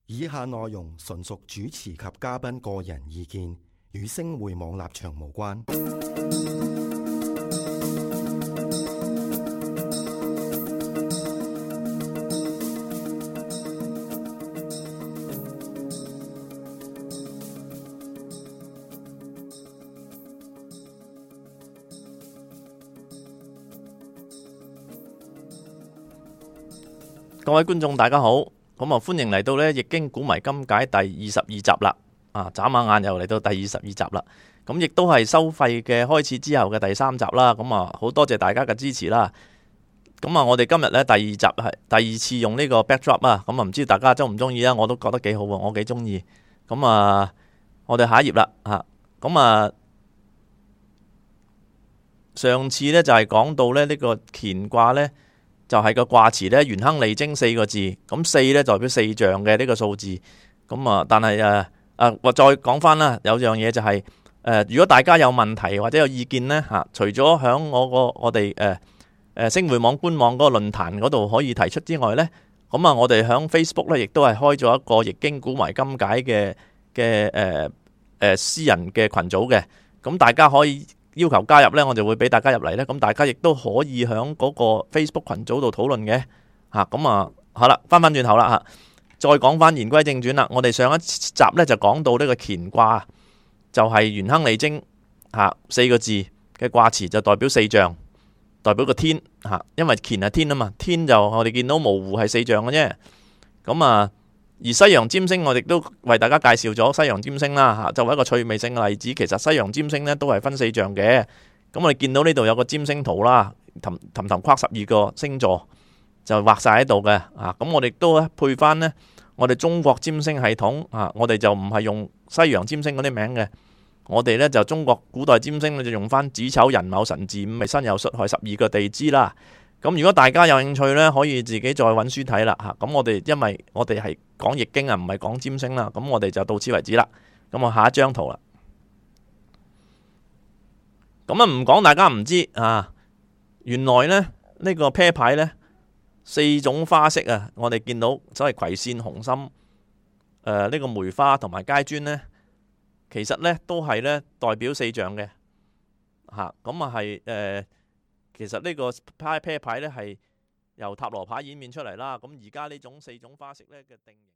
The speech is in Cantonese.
以下內容純屬主持及嘉賓個人意見，與星匯網立場無關。各位觀眾大家好，咁歡迎嚟到呢《易經古謎今解》第22集啦。眨下眼又嚟到第22集啦。咁亦都係收費嘅開始之後嘅第3集啦。咁好多謝大家嘅支持啦。咁我哋今日呢第2集係第2次用呢個 backdrop 啊。咁唔知大家中唔中意啊？我都覺得幾好喎，我幾中意。咁我哋下一頁啦。咁上次呢就係講到呢個乾卦呢。就係個卦辭咧，元亨利貞4個字，咁4咧代表四象嘅呢個數字。咁但係我再講翻啦，有樣嘢就係如果大家有問題或者有意見呢，除咗響我哋星匯網官網嗰個論壇嗰度可以提出之外呢，咁我哋響 Facebook 咧亦都係開咗一個易經古謎今解嘅私人嘅群組嘅，咁大家可以要求加入呢，我就會俾大家入嚟呢。咁大家亦都可以喺嗰個 Facebook 群組度討論嘅。好啦，翻轉頭啦，再講翻言歸正傳啦。我哋上一集呢就講到呢個乾卦，就係元亨利貞4個字嘅卦辭，就代表四象，代表個天因為乾係天啊嘛，天就我哋見到模糊係四象嘅啫。咁而西洋占星我哋都為大家介紹咗西洋占星啦，作為一個趣味性嘅例子，其實西洋占星呢都係分四象嘅。咁我哋見到呢度有個占星圖啦，氹框12個星座就畫晒喺度嘅。咁我哋都配翻呢我哋中國占星系統，我哋就唔係用西洋占星嗰啲名嘅，我哋呢就中國古代占星就用翻子丑寅卯辰巳午未申酉戌亥12個地支啦。咁如果大家有興趣呢，可以自己再揾書睇啦。咁我哋因為我哋係講易經啊，唔係講占星啦。咁我哋就到此為止啦。咁我下一張圖啦。咁唔講大家唔知原來呢個啤牌呢，4種花色啊，我哋見到所謂葵扇、紅心、呢個梅花同埋階磚呢，其實呢都係呢代表四象嘅。其實呢個啤牌呢係由塔羅牌演變出嚟啦。咁而家呢種4種花色呢嘅定型。